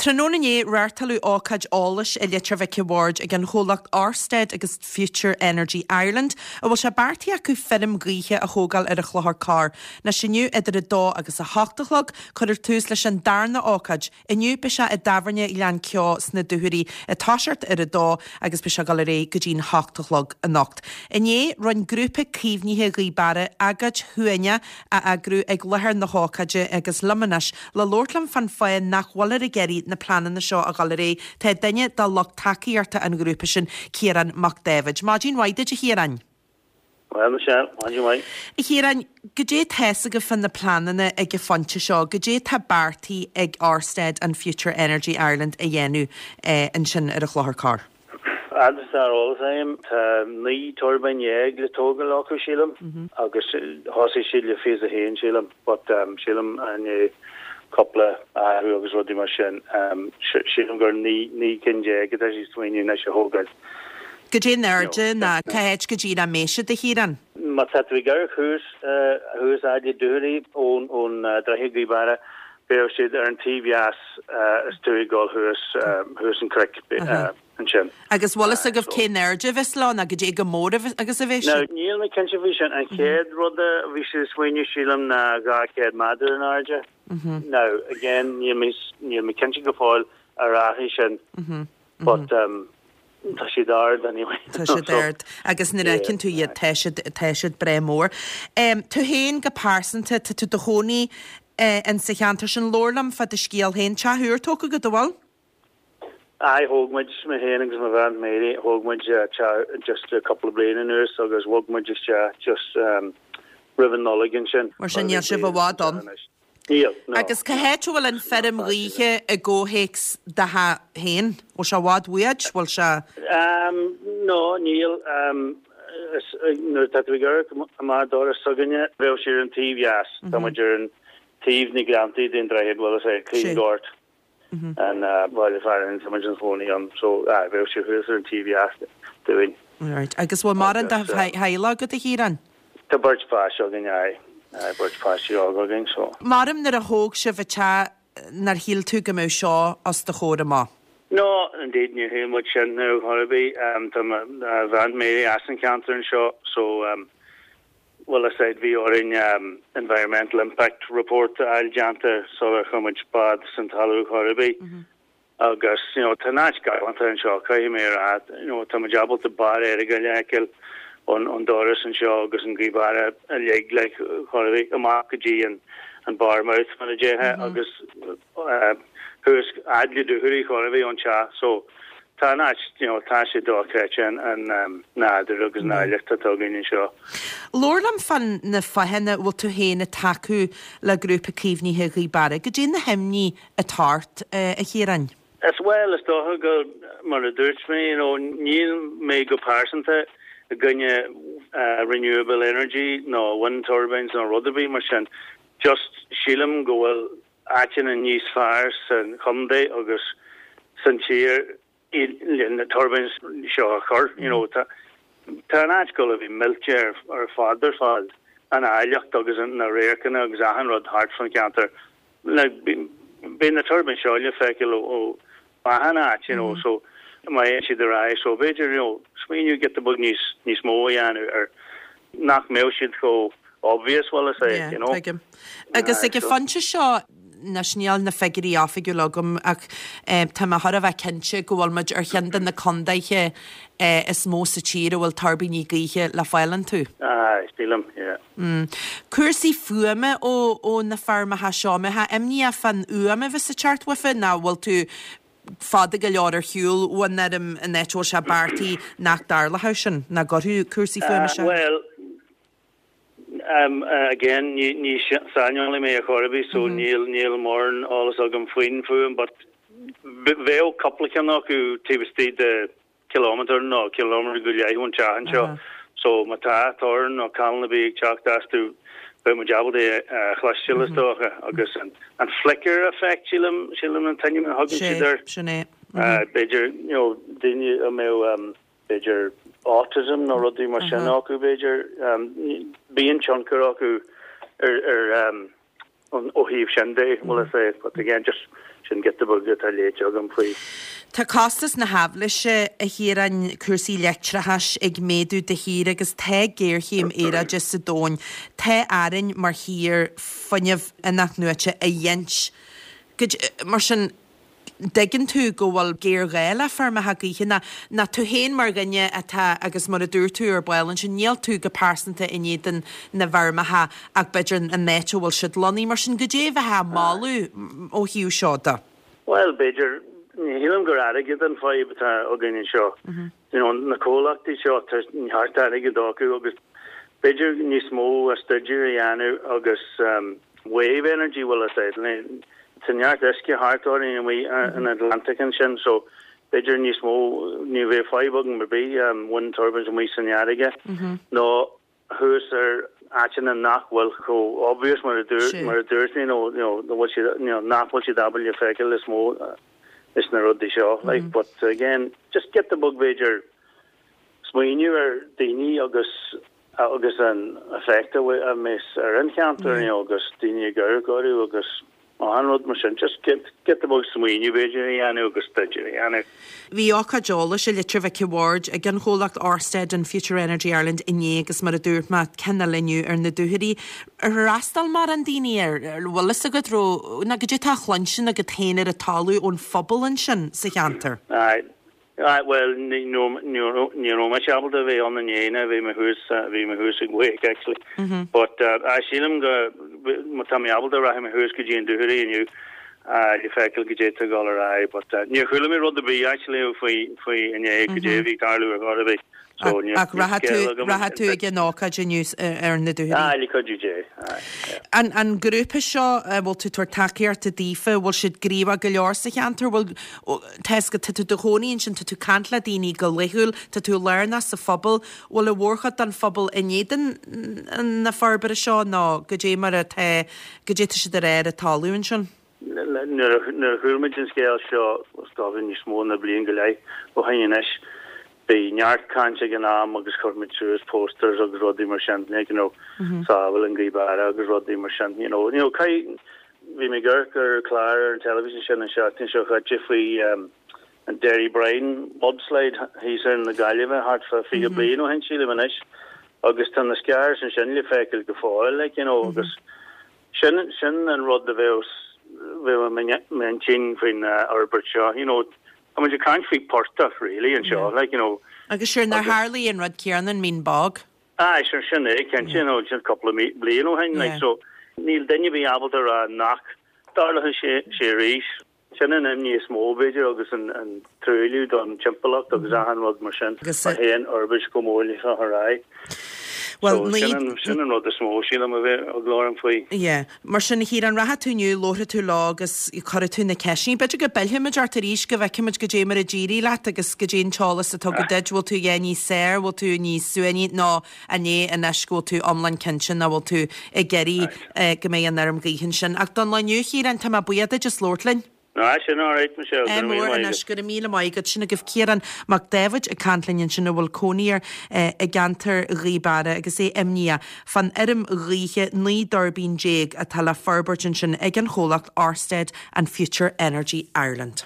Tráthnóna inné, reáchtáladh ócáid eolais i Leitir Mhic a' Bhaird ag an chomhlacht Orsted agus Future Energy Ireland, a bhfuil sé beartaithe acu feirm ghaoithe a thógáil ar an Chlochar Corr. Anois inniu idir 2 agus 8 a chlog, cuirfear tús leis an darna ócáid. Inniu beidh sé i dTábhairne Ghleann Ceo sna Dúchoraidh ag toiseacht ar a dó agus beidh sé ag dul ar aghaidh go dtí'n hocht a chlog anocht. Inné, rinne Grúpa Caomhnaithe Ghaoth Beara agóid shuaimhneach a eagrú ag láthair na hócáide agus liom anois le labhairt liom fán fáth nach bhfuiltear ag iarraidh na pleananna seo a dhul ar aghaidh tá duine de lucht tacaíochta an ghrúpa sin, Ciarán Mac Dáibhid. Maidin mhaith duit a Chiaráin. Bhuel, Michelle, maidin mhaith. A Chiaráin, goidé tá's agaibh fá na pleananna ag an phointe seo? Goidé tá beartaithe ag Orsted and Future Energy Ireland a dhéanamh ansin ar an Chlochar Corr? Fhad is atá ar eolas agam, tá 19 turbine le tógáil acu, sílim, agus thosaigh siad le 21, sílim, but sílim i ndiaidh cúpla athrú agus rudaí mar sin, sílim gur 19 cinn atá siad ag smaoineamh anois a thógáil. Goidé an airde ná cá háit go díreach a mbeidh siad, a Chiaráin? Má tá tú ag amharc thuas, thuas fhad le Dúchoraidh ón, ón Droichead Ghaoth Beara, beidh siad ar an taobh dheas is tú ag dul thuas, thuas an cnoic ansin. Agus bhfuil fhios agaibh cén airde a bheas leo ná goidé chomh mór agus a bheas siad? Now, níl mé cinnte faoi sin. An chéad rud a bhí siad ag smaoineamh, sílim, ná 200 méadar in airde. Now, again, níl mé, níl mé cinnte go fóill ar athraigh sin. But tá siad ard anyway. Tá siad ard agus nuair a fheiceann tú iad tá siad, tá siad breá mór. Tú féin go pearsanta, tá tú i do chónaí in sa cheantar sin. Labhair liom fá do scéal féin. Teach úr tógtha agat, an bhfuil? Aye, thóg muid, mé féin agus mo bhean Mary, thóg muid teach just cúpla bliain anuas agus bhog muid isteach just roimh an Nollaig ansin. Mar sin níl sibh i bhfad ann. Níl, no. Agus cá háit a bhfuil an feirm ghaoithe i gcomhthéacs do theach féin? Bhfuil sé i bhfad uait? Bhfuil sé. No, níl. Nuair atá tú ag amharc amach an doras s'againne, bheadh sé ar an taobh dheas. Tá muid ar an taobh na Gleanntaí den droichead, bhfuil fhios a'd, Cluain Gort, an baile fearainn, tá muid inár gcónaí ann. So, aye, bheadh sé thuas ar an taobh dheas dúinn. Alright. Agus bhfuil mórán de theaghlach agat, a Chiaráin? Tá beirt pháiste againn, aye. Aye, beirt pháistí óga againn, so. Maram nuair a thóg sibh an teach nár shíl tú go mbeadh seo os do chomhair amach? No, indeed, níor shíl muid sin ar chor ar bith. Tá mo bhean Mary as an cheantar anseo, so, bhfuil fhios a'd, bhí orainn environmental impact report a fháil déanta sular chuir muid spád san talamh chor ar bith. Agus, you know, tá an áit galánta anseo, caithfidh mé a rá, you know, tá muid ábalta barr Earagail a fheiceáil ón, ón doras anseo agus an Gaoth Beara uilig, like, chor ar bith, amach go dtí an, an bar mouth, mar a déarfá, agus eh, thuas fhad le Dúchoraidh chor ar bith ón teach, so tá an áit, you know, tá sé dochreidte an, an um, nádúr agus an áilleacht atá againn anseo. Labhair liom fá na fáthanna a bhfuil tú féin ag tacú le Grúpa Caomhnaithe Ghaoth Beara. Goidé na himní atá ort, a Chiaráin? Is bhuel, is dócha go, mar a dúirt mé, you know, níl mé go pearsanta i gcoinne renewable energy nó wind turbines nó rud ar bith mar sin, just sílim go bhfuil áiteanna níos fearr sa chontae agus san tír le na turbines seo a chur, you know, tá tá an áit ag gabháil a bheith millte ar ar fad ar fad, an áilleacht agus na radharcanna agus achan rud thart fan cheantar. Like, beidh na turbines seo le feiceáil ó ó achan áit, you know, so má théann siad ar aghaidh, so b'fhéidir, you know, smaoineamh giota beag níos níos mó a dhéanamh ar nach mbeadh siad chomh obvious, bhfuil fhios a'd, you know. Yeah, tuigim. Agus ag an phointe seo, anois níl na figiúirí oifigiúla agam ach tá mé chóir a bheith cinnte go bhfuil muid ar cheann de na condaetha is mó sa tír a bhfuil tuirbíní gaoithe le fáil iontu. Aye, sílim, yeah. Cúrsaí fuaime ó ó na feirmeacha seo, an mbeifeá imníoch fán fhuaim a bheas ag teacht uafa nó bhfuil tú fada go leor ar shiúl ón fheirm an áit a bhfuil sé beartaithe nach dtarlódh sin, nach gcuirfeadh cúrsaí fuaime isteach? Bhuel, Again, ní saineolaí mé ar chor ar bith so níl níl mórán eolas agam faoin fuaim but bheadh cúpla ceann acu taobh istigh de kilometre nó kilometre go leith ón teach anseo so má tá torann nó callán ar bith ag teacht astu beidh muid ábalta é a chloisteáil is dócha agus an flicker effect sílim sílim an t-ainm a thugann siad air. Sin é. B'fhéidir you know daoine a mbeadh b'fhéidir autism nó rudaí mar sin acu b'fhéidir. Bíonn tionchar acu ar ar ó thaobh sin de, bhfuil fhios a'd, but again just. Sin giota beag atá léite agam faoi. Tá costas na haibhléise, a Chiaráin, cúrsaí leictreachais ag méadú de shíor agus tá géarchéim aeráide sa domhan. Tá orainn mar thír fuinneamh inathnuaite a ghint. Mar sin, dtuigeann tú go bhfuil géarghá le feirmeacha gaoithe ná ná tú féin mar dhuine atá, agus mar a dúirt tú ar ball ansin, níl tú go pearsanta in éadan na bhfeirmeacha ach b'fhéidir an áit a bhfuil siad lonnaithe. Mar sin, goidé a bheifeá a mholadh ó thaobh seo de? Bhuel, b'fhéidir, ní shílim gur airgead an fadhb atá againn anseo. You know, na comhlachtaí seo, tá neart airgead acu agus b'fhéidir níos mó staidéir a dhéanamh agus wave energy, bhfuil a fhios agat, tá neart uisce thart orainn amuigh in Atlantic ansin so b'fhéidir níos mó, ní bheadh fadhb agam ar bith wind turbines amuigh san fharraige nó thuas ar áiteanna nach bhfuil chomh obvious mar a dúirt mar a dúirt mé nó you know bhfuil siad you know nach bhfuil siad ábalta feiceáil is mó is na rudaí seo like but again just giota beag b'fhéidir smaoineamh ar daoine agus agus an effect a bheas ar an cheantar you know agus daoine ag amharc orthu agus Achan rud mar sin, just giota beag smaoineamh b'fhéidir a dhéanamh agus staidéar a dhéanamh. Bhí ócáid eolais i Leitir Mhic an Bhaird ag an chomhlacht Orsted and Future Energy Ireland inné agus mar a dúirt mé, ceann eile inniu ar na Dúchoraidh. Ar fhreastail mórán daoine air? An bhfuil fhios agat raibh, nó goidé atá á chluinstin agat féin ar an talamh ón phobal ansin sa cheantar? Aye. Aye, bhuel, ní ní raibh mise ábalta a bheith ann inné, ná bhí mé thuas, bhí mé thuas ag Wake actually. But aye, sílim go, má tá mé ábalta rachaidh mé thuas go dtí an Dúchoraidh inniu le feiceáil goidé atá ag dul ar aghaidh. But níor chuala mé rud ar bith actually faoi faoi inné goidé a bhí ag tarlú ar chor ar bith. So níl Ach rachaidh tú, scéal agam. rachaidh tú ag an ócáid inniu ar na Dúchoraidh? Aye, le cuidiú Dé, aye, yeah. An an grúpa seo a bhfuil tú ag tabhairt tacaíochta daofa, bhfuil siad gníomhach go leor sa cheantar? Bhfuil, Tá fhios agat, tá tú i do chónaí ansin, tá tú ag caint le daoine go laethúil, tá tú lárnach sa phobal. Bhfuil an mhórchuid den phobal in éadan na forbartha seo nó goidé mar atá, goidé atá siad a rá ar an talamh ansin? Nuair a chuala muid an scéal seo, is dócha níos mó ná bliain go leith ó shin anois, bhí neart caint ag an am agus chuir muid suas posters agus rudaí mar sin, like, you know, sábháil an Ghaoth Beara agus rudaí mar sin, you know, you know, caith, Bhí mé ag amharc ar chlár ar an teilifís ansin an seachtain seo chaite faoi an Derrybrien mudslide thíos ar na Gaillimhe thart fá 20 bliain ó shin sílim anois agus tá na scars ansin le feiceáil go fóill like you know agus sin sin an rud a bheadh bheadh i m'intinn faoin fhorbairt seo you know tá muid ag caint faoi portach really anseo like you know Agus sure nár tharlaigh an rud céanna in Mín Bog? Aye, sure, sin é, cinnte, you know, sin cúpla bliain ó shin, like, so níl duine ar bith ábalta a rá nach dtarlóidh sé sé arís. Sin an imní is mó, b'fhéidir, agus an an truailliú don timpeallacht agus achan rud mar sin, má théann fhorbairt chomh mór leis seo ar aghaidh. Well, So sin an sin an rud is mó, sílim, a bheadh eagla orm faoi. Yeah. Mar sin, a Chiaráin, rachaidh tú inniu, labharfaidh tú leo agus cuirfidh tú na ceisteanna. B'fhéidir go bpillfimid ort arís go bhfeicfimid goidé mar a d'éirigh leat agus goidé an t-eolas atá agat duit. Bhfuil tú a dhath níos saoire, bhfuil tú níos suaimhní nó an é anois go bhfuil tú iomlán cinnte nach bhfuil tú ag iarraidh go mbeidh an fheirm ghaoithe ansin. Ach don lá inniu, a Chiaráin, tá mé buíoch duit as labhairt linn. Ná sin alright Michelle, go raibh míle maith agat. Anois, go raibh míle maith agat. Sin agaibh Ciarán Mac Dáibhid ag caint linn ansin a bhfuil cónaí air i gceantar Ghaoth Beara agus é imníoch fán fheirm ghaoithe 19 dtuirbín atá le forbairt ansin ag an chomhlacht Orsted and Future Energy Ireland.